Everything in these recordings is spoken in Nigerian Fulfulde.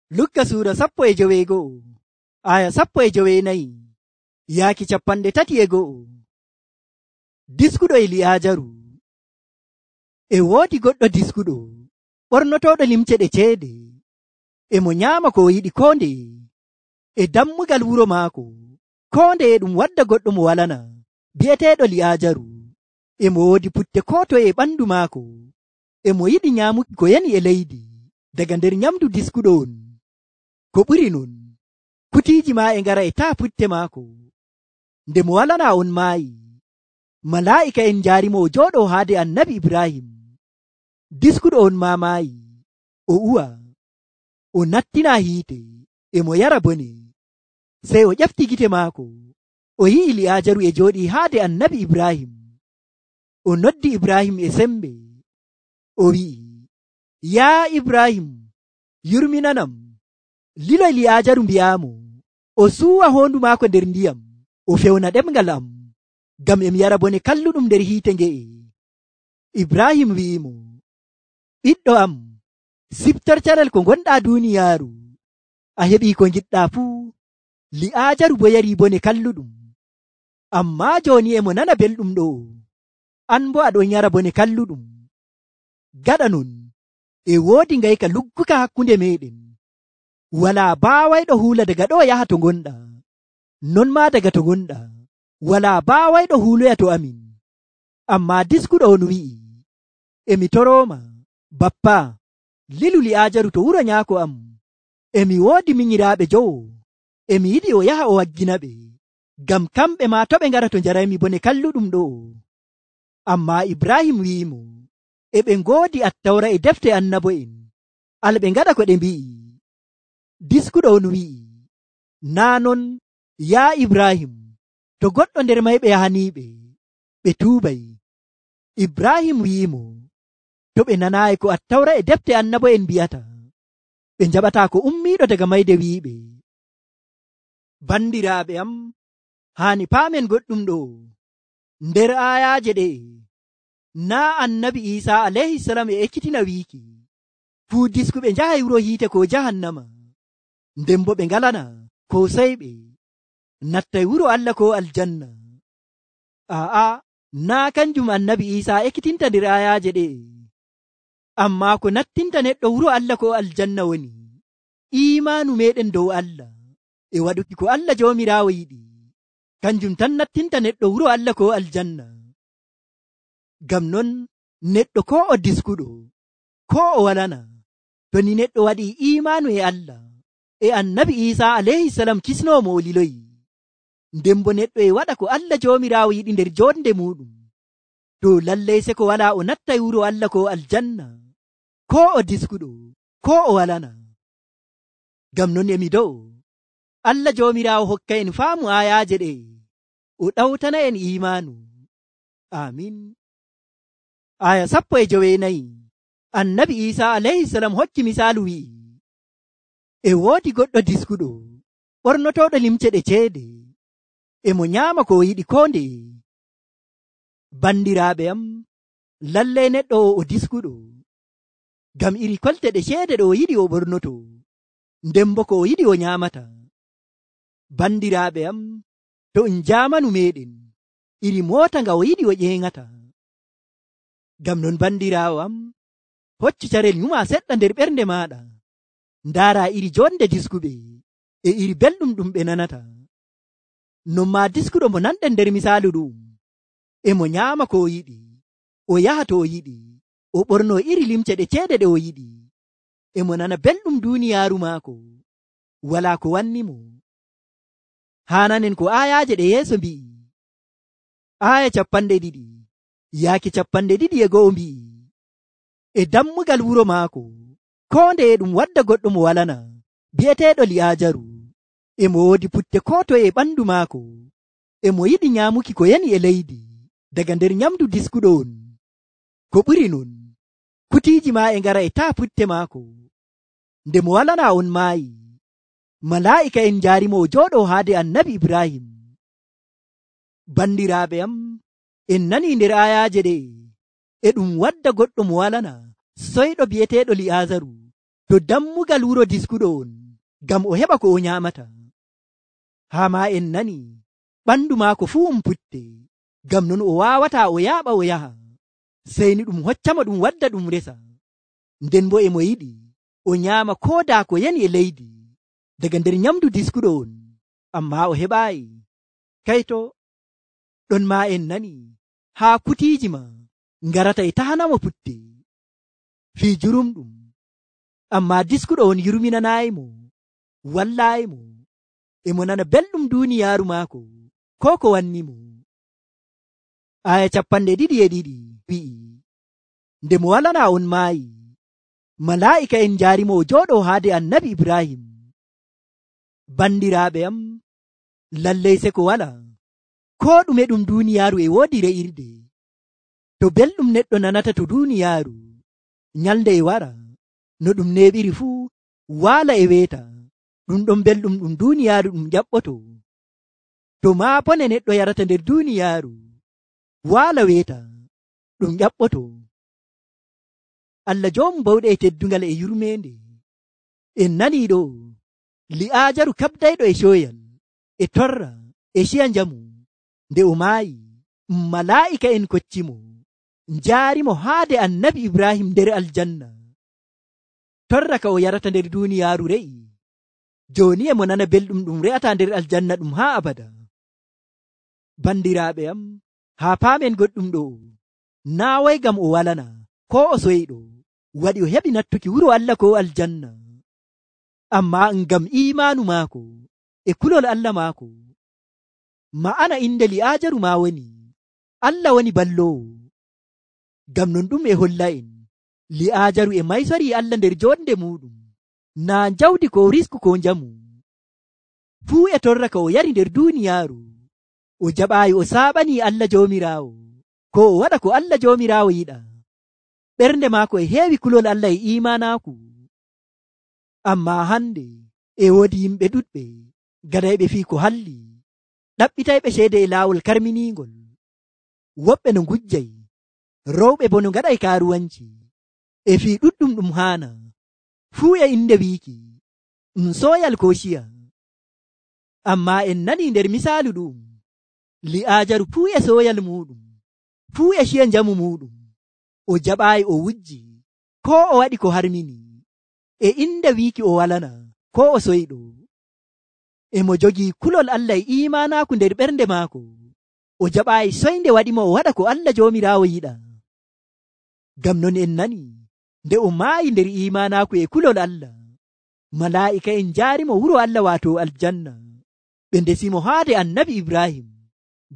Lukka suura 15 aya 14 yaaki 31. Diskuɗo Eliyaajaru. E woodi goɗɗo diskuɗo ɓornotoɗo limce ɗe ceede, e mo nyaama ko o yiɗi koo ndeye. E dammugal wuro maako koo ndeye ɗum wadda goɗɗo mo walana bi'eteeɗo Liyaajaru. E mo woodi putte koo toye e ɓandu maako. E mo yiɗi nyaamuki ko yani e leydi daga nder nyamdu diskuɗo on. Ko ɓuri non, kutiiji maa e ngara e taa putte maako. Nde mo walana on maayi, malaa'ika en njaarimo o jooɗo haade annabi Ibrahim. Diskuɗo on maa maayi, o uwa, o nattina hiite, e mo yara bone. Sey o ƴefti gite maako, o yi'i Liyaajaru e jooɗii haade annabi Ibrahim. O noddi Ibrahim e sembe, o wi'i, yaa Ibrahim, yurminanam. Liloy Liyaajaru mbi'aamo, o suuwa hoondu maako nder ndiyam, o fewna ɗemngal am, ngam emi yara bone kalluɗum nder hiite nge'e. Ibrahim wi'imo, ɓiɗɗo am, siftor carel ko gonɗaa duuniyaaru, a heɓii ko ngiɗɗaa fuu. Liyaajaru bo yarii bone kalluɗum, ammaa jooni emo nana belɗum ɗo, an bo aɗon yara bone kalluɗum. Gaɗa non, e woodi ngayka lugguka hakkunde meɗen. Walaa baawayɗo huula daga ɗo yaha to gonɗaa, non maa daga to gonɗaa walaa baawayɗo huuloya to amin. Ammaa diskuɗo on wi'i, emi torooma, bappa, lilu Liyaajaru to wuro nyaako am. Emi woodi minyiraaɓe jowo, emi yiɗi o yaha o waggina ɓe, ngam kamɓe maa to ɓe ngara to njaraymi bone kalluɗum ɗo. Ammaa Ibrahim wi'imo, e ɓe ngoodi Attawra e defte annabo'en, alɓe ngaɗa ko ɗe mbi'i. Diskuɗo on wi'i, naa non, yaa Ibrahim, to goɗɗo nder mayɓe yahaniiɓe, ɓe tuubay. Ibrahim wi'imo, to ɓe nanaayi ko Attawra e defte annabo'en mbi'ata, ɓe njaɓataa ko ummiiɗo daga mayde wi'iɓe. Bandiraaɓe am, haani paamen goɗɗum ɗo. Nder aayaaje ɗe'e, naa annabi Iisaa alayhisalam e ekkitina wiiki, fuu diskuɓe njahay wuro hiite ko jahannama. Nden bo ɓe ngalana ko seyɓe nattay wuro Allah ko aljanna. Aa, naa kanjum annabi Iisaa ekkitinta nder ayaaje ɗe. Ammaa ko nattinta neɗɗo wuro Allah ko aljanna woni iimaanu meɗen dow Allah e waɗuki ko Allah Joomiraawo yiɗi. Kanjum tan nattinta neɗɗo wuro Allah ko aljanna. Ngam non neɗɗo ko o diskuɗo ko o walana, to ni neɗɗo waɗi iimaanu e Allah e annabi Iisaa alayhisalam kisnoomo o liloyi, nden bo neɗɗo e waɗa ko Allah Joomiraawo yiɗi nder jonde muɗum, to lallay se ko walaa o nattay wuro Allah ko aljanna, ko o diskuɗo ko o walana. Ngam non emi do'o Allah Joomiraawo hokka en faamu ayaaje ɗe, o ɗawtana en iimaanu. Amin. Aya 14 annabi Iisaa alayhisalam hokki misaalu wi'i, e woodi goɗɗo diskuɗo ɓornotoɗo limce ɗe ceede, e mo nyaama ko o yiɗi koo ndeye. Bandiraaɓe am, lallay neɗɗo o diskuɗo, ngam iri kolte ɗe ceede ɗo o yiɗi o ɓornoto, nden bo ko o yiɗi o nyaamata. Bandiraaɓe am, to en jaamanu meɗen, iri moota nga o yiɗi o ƴeeŋata. Ngam non bandiraawo am, hoccu carel nyuma seɗɗa nder ɓernde maaɗa, ndaara iri jonde diskuɓe e iri belɗum ɗum ɓe nanata. Non maa diskuɗo mo nanɗen nder misaalu ɗum, e mo nyaama ko o yiɗi, o yaha to o yiɗi, o ɓorno iri limce ɗe ceede ɗe o yiɗi, e mo nana belɗum duuniyaaru maako, walaa ko wanni mo. Haananen ko aayaaje ɗe yeeso mbi'i. Aaya 20 yaaki 21 mbi'i, e dammugal wuro maako koo ndeye ɗum wadda goɗɗo mo walana bi'eteeɗo Liyaajaru, e mo woodi putte koo toye e ɓandu maako. E mo yiɗi nyaamuki ko yani e leydi daga nder nyamdu diskuɗo on. Ko ɓuri non, kutiiji maa e ngara e taa putte maako. Nde mo walana on maayi, malaa'ika en njaarimo o jooɗo haade annabi Ibrahim. Bandiraaɓe am, en nanii nder ayaaje ɗe, e ɗum wadda goɗɗo mo walana soyɗo bi'eteeɗo Liyaajaru to dammugal wuro diskuɗo on ngam o heɓa ko o nyamata. Haa ma en nani ɓandu maako fuu putte, ngam non o waawata o yaaɓa o yaha, sey ni ɗum hoccamo ɗum wadda ɗum resa. Nden bo e mo yiɗi o nyaama ko daa ko yani e leydi daga nder nyamdu diskuɗo on, amma o heɓaayi. Kayto ɗon ma en nani haa kutiiji ma ngarata e tahanamo putte fii jurumɗum, amma diskuɗo on yurminanaayimo, wallaayimo, e mo nana belɗum duuniyaaru maako ko ko wannimo. Aya 22 wi'i, nde mo walana on maayi, malaa'ika en njaarimo o jooɗo haade annabi Ibrahim. Bandiraaɓe am, lallay se ko wala ko ɗume ɗum duuniyaaru e woodi re'irde. To belɗum neɗɗo nanata to duuniyaaru, nyalde e wara no ɗum neeɓiri fuu waala e weeta, ɗum ɗon belɗum ɗum duuniyaaru ɗum ƴaɓɓoto. To maa bone neɗɗo yarata nder duuniyaaru, waala weeta, ɗum ƴaɓɓoto. Allah joomu bawɗe e teddungal e yurmeende, en nanii ɗo Li'aajaru kabdayɗo e coyal e torra e ciya njamu, nde o maayi, malaa'ika en koccimo njaarimo haade annabi Ibrahim nder aljanna. Torra ka o yarata nder duuniyaaru re'i, jooni e mo nana belɗum ɗum re'ata nder aljanna ɗum haa abada. Bandiraaɓe am, haa paamen goɗɗum ɗo, naa way ngam o walana ko o soyɗo waɗi o heɓi nattuki wuro Allah ko aljanna, amma ngam imaanu maako e kulol Allah maako. Ma'ana inde Li'aajaru ma woni Allah woni balloowo. Ngam non ɗum e holla en Li'aajaru e maysori Allah nder jonde muɗum, naa jawdi ko risku ko njamu. Fuu e torra ka o yari nder duuniyaaru, o jaɓaayi o saaɓani Allah joomiraawo, ko o waɗa ko Allah joomiraawo yiɗa. Ɓernde maako e heewi kulol Allah e imanaaku. Amma hande e woodi yimɓe ɗuɗɓe gadayɓe fii ko halli, ɗaɓɓitayɓe ceede e laawol karminiingol, woɓɓe no ngujjay, rowɓe bo no ngaɗay kaaruwanci, e fii ɗuɗɗum ɗum haana, fuu e inde wiiki sooyal ko ciya. Amma en nani nder misaalu ɗum, Li'aajaru fuu e sooyal muɗum, fuu e ciya njamu muɗum, o jaɓaayi o wujji ko o waɗi ko harmini, e inde wiiki o walana ko o soyɗo. E mo jogii kulol Allah e imanaaku nder ɓernde maako, o jaɓaayi soynde waɗimo o waɗa ko Allah joomiraawo yiɗa. Ngam non en nani nde o maayi nder imanaaku e kulol Allah, malaa'ika en njaarimo wuro Allah waato aljanna, ɓe ndesimo haade annabi Ibrahim,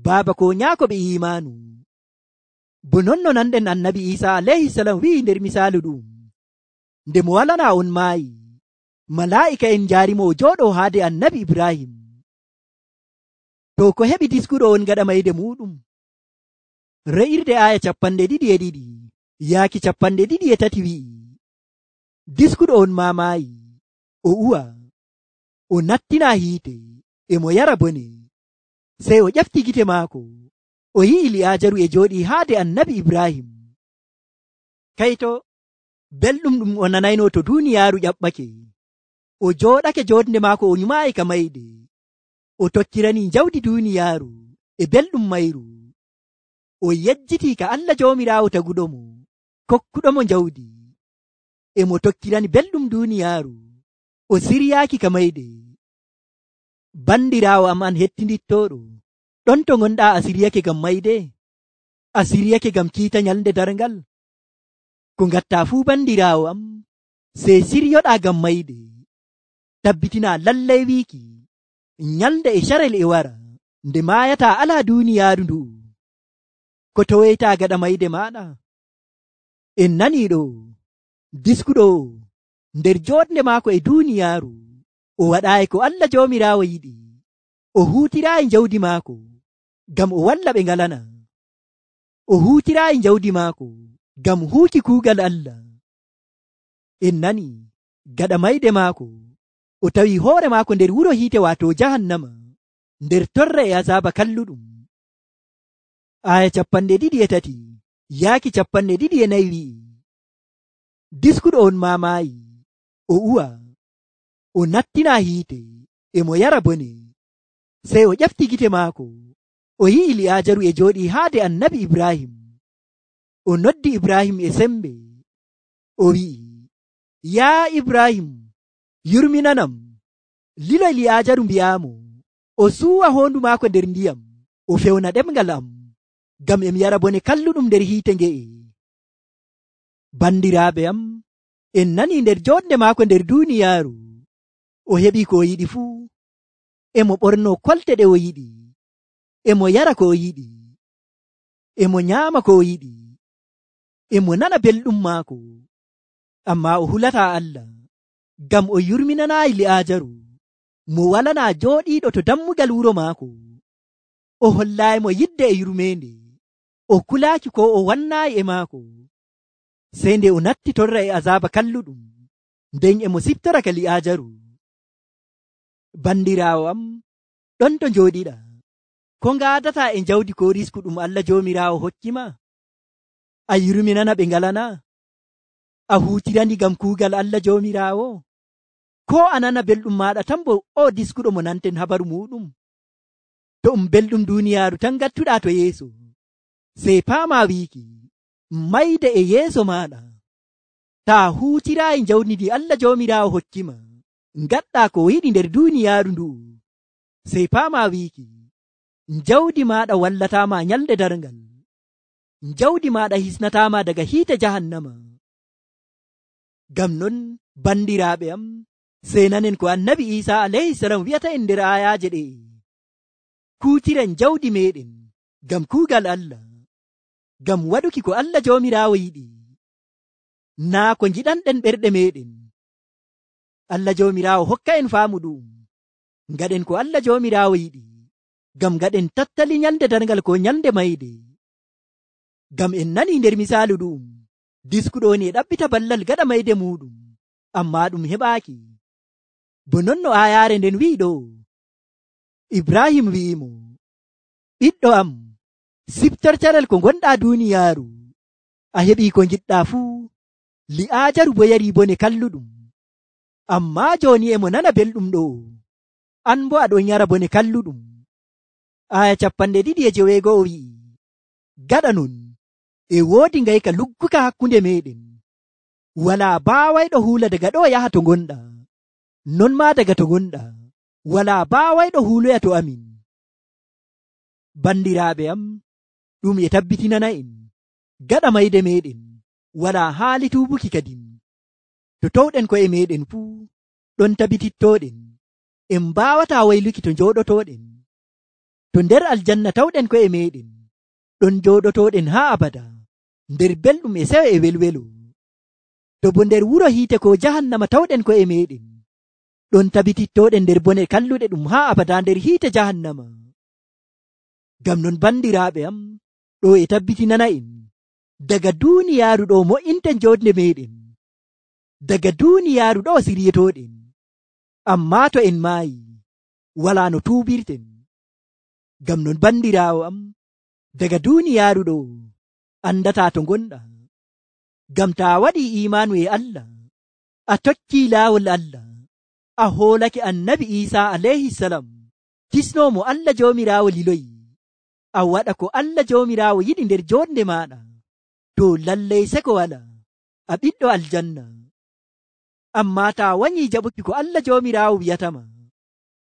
baaba ko nyaako ɓe imaanu. Bo non no nanɗen annabi Isa alayhisalam wi'i nder misaalu ɗum, nde mo walana on maayi, malaa'ika en njaarimo o jooɗo haade annabi Ibrahim. To ko heɓi diskuɗo on gaɗa mayde muɗum? Re'irde aya 22 yaaki 23 wi'i, diskuɗo on ma maayi, o uwa, o nattina hiite, e mo yara bone. Sey o ƴefti gite maako, o yi'i Li'aajaru e jooɗi haade annabi Ibrahim. Kayto belɗum ɗum o nanayno to duuniyaaru ƴaɓɓake, o jooɗake jonde maako o nyumaayi ka mayde, o tokkirani jawdi duuniyaaru e belɗum mayru, o yejjitii ka Allah joomiraawo taguɗo mo, kokkuɗo mo jawdi, e mo tokkirani belɗum duuniyaaru, o siryaaki ka mayde. Bandiraawo am an hettindittooɗo, ɗon to gonɗaa a siryake ngam mayde? A siryake ngam kiita nyalde darngal? Ko ngatta fuu bandiraawo am, sey siryoɗaa ngam mayde. Tabbitina lallay wiiki nyalde e carel e wara, nde maayata alaa duuniyaaru ndu, ko towoyta gaɗa mayde maɗa. En nanii ɗo diskuɗo nder joɗnde maako e duuniyaaru, o waɗaayi ko Allah joomiraawo yiɗi, o huutiraayi jawdi maako ngam o walla ɓe ngalana, o huutiraayi jawdi maako ngam huuki kuugal Allah. En nani gaɗa mayde maako, o tawi hoore maako nder wuro hiite waato jahannama, nder torra e azaaba kalluɗum. Aya 23 yaaki 24 wi'i, diskuɗo on ma maayi, o uwa, o nattina hiite, e mo yara bone. Sey o ƴefti gite maako, o yi'i Li'aajaru e jooɗii haade annabi Ibrahim. O noddi Ibrahim e sembe, o wi'i, yaa Ibrahim, yurminanam. Liloy Li'aajaru mbi'aamo, o suuwa hoondu maako nder ndiyam, o fewna ɗemngal am, ngam em yara bone kalluɗum nder hiite nge'e. Bandiraaɓe am, en nanii nder jooɗnde maako nder duuniyaaru, o heɓii ko o yiɗi fuu. Emo ɓornoo kolte ɗe o yiɗi, emo yara ko o yiɗi, emo nyaama ko o yiɗi, emo nana belɗum maako. Ammaa o hulataa Allah, ngam o yurminanaayi Li'aajaru, mo walanaa jooɗiiɗo to dammugal wuro maako. O hollaayimo yidde e yurmeende, o kulaaki ko o wannaayi e maako. Sey nde o natti torra e azaaba kalluɗum, nden emo siftora ka Li'aajaru. Bandiraawo am, ɗon to njooɗiɗa, ko ngaadataa e jawdi ko risku ɗum Allah Joomiraawo hokki ma? A yurminana ɓe ngalana? A huutirani ngam kuugal Allah Joomiraawo? Ko a nana belɗum maaɗa tan bo o diskuɗo mo nanten habaru muɗum? To belɗum duuniyaaru tan ngattuɗaa to yeeso, sey paamaa wiiki, mayde e yeeso maaɗa. Taa huutiraayi jawdi ndi Allah Joomiraawo hokkima, ngaɗɗaa ko yiɗi nder duuniyaaru ndu'u, sey paamaa wiiki, jawdi maaɗa wallataama nyalde darngal, jawdi maaɗa hisnataama daga hiite jahannama. Ngam non, bandiraaɓe am, sey nanen ko annabi Iisaa alayhi salam wi'ata en nder ayaaje ɗe, kuutiren jawdi meɗen ngam kuugal Allah, ngam waɗuki ko Allah Joomiraawo yiɗi, naa ko njiɗanɗen ɓerɗe meɗen. Allah Joomiraawo hokka en faamu ɗum, ngaɗen ko Allah Joomiraawo yiɗi, ngam ngaɗen tattali nyalde darngal ko nyalde mayde. Ngam en nanii nder misaalu ɗum, diskuɗo woni e ɗaɓɓita ballal gaɗa mayde muɗum, ammaa ɗum heɓaaki. Bo non no aayaare nden wi'i ɗo, Ibrahim wi'imo, ɓiɗɗo am, siftor carel ko gonɗaa duuniyaaru, a heɓii ko ngiɗɗaa fuu. Li'aajaru bo yarii bone kalluɗum, ammaa jooni emo nana belɗum ɗo, an bo aɗon yara bone kalluɗum. Aya 2:9 wi'i, gaɗa non, e woodi ngayka lugguka hakkunde meɗen, walaa baawayɗo huula daga ɗo yaha to gonɗaa, non maa daga to gonɗaa, walaa baawayɗo huuloya to amin. Bandiraaɓe am, ɗum e tabbitinana en, gaɗa mayde meɗen, walaa haali tuubuki kadin. To towɗen ko'e meɗen fuu, ɗon tabitittoɗen, en mbaawataa wayluki to njooɗotoɗen. To nder aljanna tawɗen ko'e meɗen, ɗon jooɗotoɗen haa abada, nder belɗum e sewo e welwelo. To bo nder wuro hiite ko jahannama tawɗen ko'e meɗen, ɗon tabitittoɗen nder bone kalluɗe ɗum haa abada nder hiite jahannama. Ngam non bandiraaɓe am, ɗo e tabbitinana en, daga duuniyaaru ɗo mo'inten joodde meɗen, daga duuniyaaru ɗo siryetoɗen, ammaa to en maayi, walaa no tuubirten. Ngam non bandiraawo am, daga duuniyaaru ɗo andataa to gonɗaa. Ngam taa waɗii imaanu e Allah, a tokkii laawol Allah, a hoolake annabi Iisaa alayhi salam, kisnoomo Allah Joomiraawo liloyi, a waɗa ko Allah Joomiraawo yiɗi nder joonde maaɗa, to lallay seko walaa, a ɓiɗɗo aljanna. Ammaa taa wanyii jaɓuki ko Allah Joomiraawo wi'atama,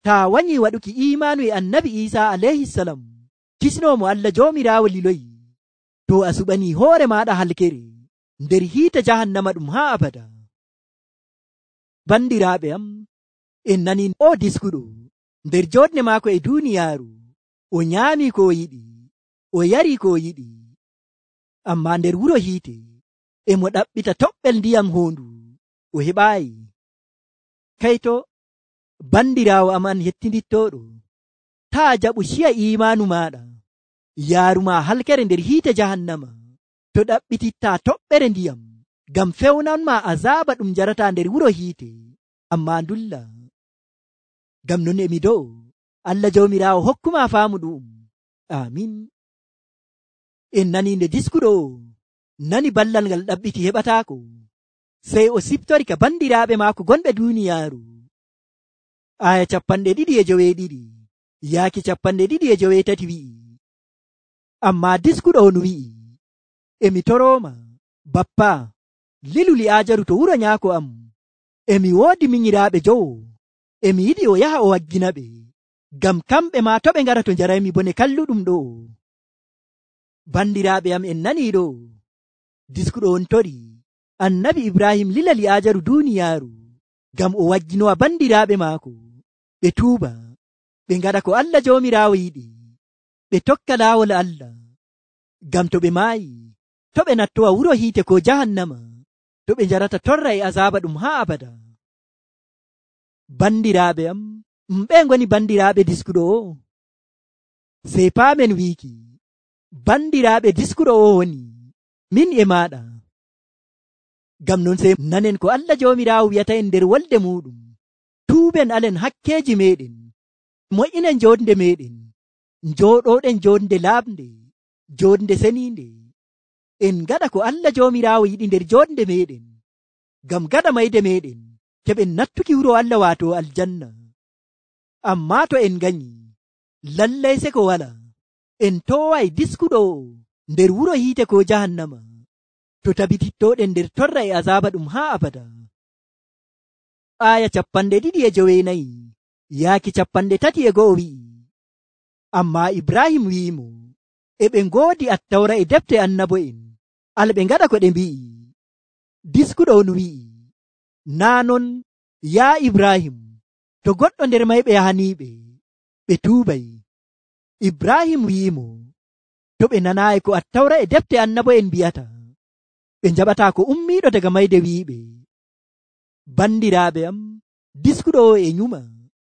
taa wanyii waɗuki imaanu e annabi Iisaa alayhi salam, kisnoomo Allah Joomiraawo liloyi, to a suɓanii hoore maaɗa halkere nder hiite jahannama ɗum haa abada. Bandiraaɓe am, en nanii o diskuɗo nder jooɗne maako e duuniyaaru, o nyaamii ko o yiɗi, o yarii ko o yiɗi, ammaa nder wuro hiite emo ɗaɓɓita toɓɓel ndiyam hoondu, o heɓaayi. Kayto bandiraawo am an hettindittoɗo, taa jaɓu ciya imaanu maaɗa, yaaruma halkere nder hiite jahannama, to ɗaɓɓitittaa toɓɓere ndiyam, ngam fewnanma azaaba ɗum jarata nder wuro hiite, ammaa ndulla. Ngam non emi do'o, Allah Joomiraawo hokkuma faamu ɗum. Amin. En nanii nde diskuɗo nani ballal ngal ɗaɓɓiti heɓataako, sey o siftori ka bandiraaɓe maako gonɓe duuniyaaru. aya 22 yaaki 23 wi'i, ammaa diskuɗo on wi'i, emi torooma bappa, lilu Li'aajaru to wuro nyaako am. Emi woodi minyiraaɓe jowo, emi yiɗi o yaha o waggina ɓe, ngam kamɓe maa to ɓe ngara to njaraymi bone kalluɗum ɗo. Bandiraaɓe am, en nanii ɗo, diskuɗo on tori annabi Ibrahim lila Li'aajaru duuniyaaru ngam o wagginowa bandiraaɓe maako ɓe tuuba, ɓe ngaɗa ko Allah Joomiraawo yiɗi, ɓe tokka laawol Allah, ngam to ɓe maayi to ɓe nattowa wuro hiite ko jahannama, to ɓe njarata torra e azaaba ɗum haa abada. Bandiraaɓe am, ɓe ngoni bandiraaɓe diskuɗo o? Sey paamen wiiki bandiraaɓe diskuɗo o woni min e maaɗa. Ngam non sey nanen ko Allah Joomiraawo wi'ata en nder wolde muɗum. Tuuben alen hakkeeji meɗen, moƴƴinen jonde meɗen, njooɗoɗen jonde laaɓnde, jonde seniinde. En ngaɗa ko Allah Joomiraawo yiɗi nder jonde meɗen, ngam gaɗa mayde meɗen keɓen nattuki wuro Allah waato aljanna. Ammaa to en ganyi, lallay se ko wala, en toway diskuɗo nder wuro hiite ko jahannama, to tabitittoɗen nder torra e azaaba ɗum haa abada. aya 29 yaaki 31 wi'i, ammaa Ibrahim wi'imo, e ɓe ngoodi attawra e defte annabo'en, alɓe ngaɗa ko ɗe mbi'i. Diskuɗo on wi'i, naa non yaa Ibrahim, to goɗɗo nder mayɓe yahaniiɓe, ɓe tuubay. Ibrahim wi'imo, to ɓe nanaayi ko attawra e defte annabo'en mbi'ata, ɓe njaɓataa ko ummiiɗo daga mayde wi'iɓe. Bandiraaɓe am, diskuɗo o e nyuma,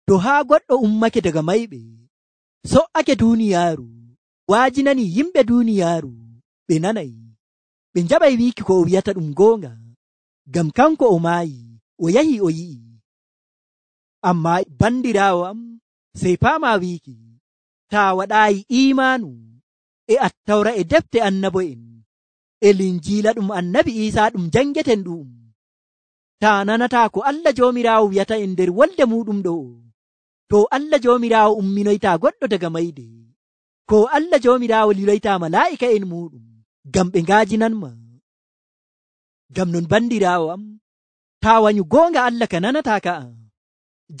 to haa goɗɗo ummake daga mayɓe, so'ake duuniyaaru, waajinani yimɓe duuniyaaru, ɓe nanay, ɓe njaɓay wiiki ko o wi'ata ɗum goonga, ngam kanko o maayi, o yahi o yi'i. Ammaa bandiraawo am, sey paama wiiki, taa waɗaayi iimaanu e attawra e defte annabo'en, e linjiila ɗum annabi Iisaa ɗum jangeten ɗum, taa nanataa ko Allah Joomiraawo wi'ata en nder wolde muɗum ɗo, to Allah Joomiraawo umminoytaa goɗɗo daga mayde, ko Allah Joomiraawo liloytaa malaa'ika en muɗum ngam ɓe ngaajinanma. Ngam non bandiraawo am, taa wanyu goonga Allah ka nanataa ka'a,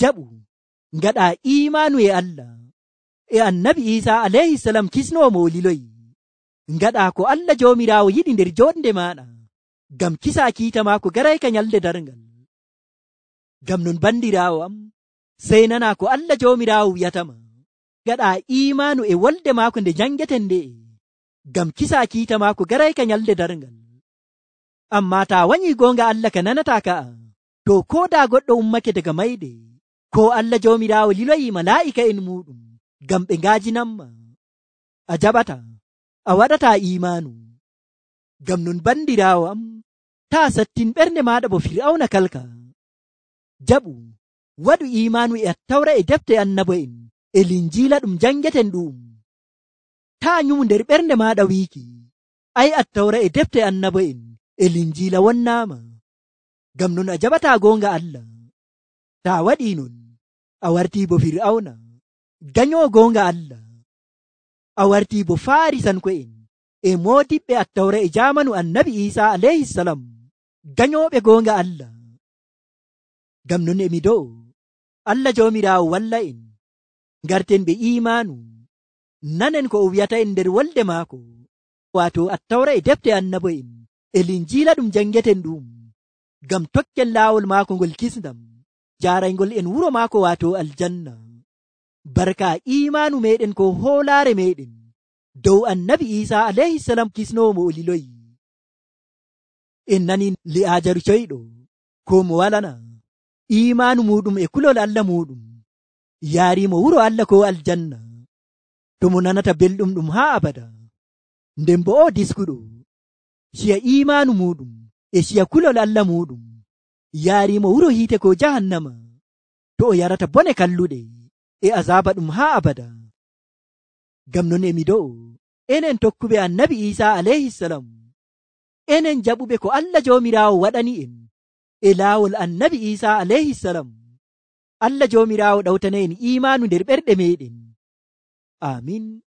jaɓu ngaɗaa iimaanu e Allah e annabi Iisaa alayhisalam kisnoo mo o liloyi, ngaɗaa ko Allah Joomiraawo yiɗi nder jonde maaɗa, ngam kisaa kiita maako garayka nyalde darngal. Ngam non bandiraawo am, sey nanaa ko Allah Joomiraawo wi'atama, ngaɗaa iimaanu e wolde maako nde jangeten nde'e, ngam kisaa kiita maako garayka nyalde darngal. Ammaa taa wanyii goonga Allah ka nanataa ka'a, to ko daa goɗɗo ummake daga mayde, ko Allah Joomiraawo liloyi malaa'ika en muɗum ngam ɓe ngaajinanma, a jaɓata, a waɗataa iimaanu. Ngam non bandiraawo am, taa sattin ɓernde maaɗa bo Fir'awna kalka, jaɓu waɗu iimaanu e attawra e defte annabo'en e linjiila ɗum jangeten ɗum. Taa nyumu nder ɓernde maaɗa wiiki, ay attawra e defte annabo'en e linjiila wonnaama. Ngam non a jaɓataa goonga Allah. Taa waɗii non, a wartii bo Fir'awna, ganyoo goonga Allah. A wartii bo Faarisanko'en e moodiɓɓe attawra e jaamanu annabi Iisaa alayhisalam, ganyooɓe goonga Allah. Ngam non emi do'o, Allah Joomiraawo walla en, ngarten ɓe iimaanu, nanen ko o wi'ata en nder wolde maako, waato attawra e defte annabo'en e linjiila ɗum jangeten ɗum, ngam tokken laawol maako ngol kisndam, jaaraygol en wuro maako waato aljanna. Barka iimaanu meɗen ko hoolaare meɗen dow annabi Iisaa alayhisalam kisnoomo o liloyi. En nani Li'aajaru coyɗo, ko mo walana iimaanu muɗum e kulol Allah muɗum, yaariimo wuro Allah ko aljanna, to mo nanata belɗum ɗum haa abada. Nden bo o diskuɗo, ciya iimaanu muɗum e ciya kulol Allah muɗum, yaariimo wuro hiite ko jahannama, to o yarata bone kalluɗe e azaaba ɗum haa abada. Ngam non emi do'o, enen tokkuɓe annabi Iisaa alayhisalam, enen jaɓuɓe ko Allah Joomiraawo waɗani en e laawol annabi Isa alayhisalam. Allah joomiraawo ɗawtana en imaanu nder ɓerɗe meɗen. Amin.